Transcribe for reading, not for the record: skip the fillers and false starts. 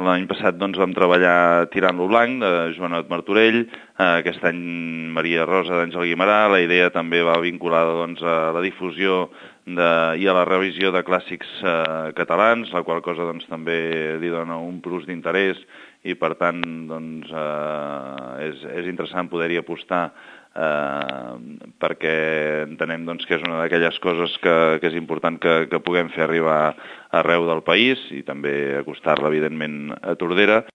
L'any passat vam treballar Tirant-lo blanc, de Joanot Martorell, aquest any Maria Rosa d'Àngel Guimerà. La idea també va vinculada a la difusió i a la revisió de clàssics catalans, la qual cosa també li dona un plus d'interès i per tant és interessant poder-hi apostar perquè entenem que és una d'aquelles coses que és important que puguem fer arribar arreu del país i també acostar-la, evidentment, a Tordera.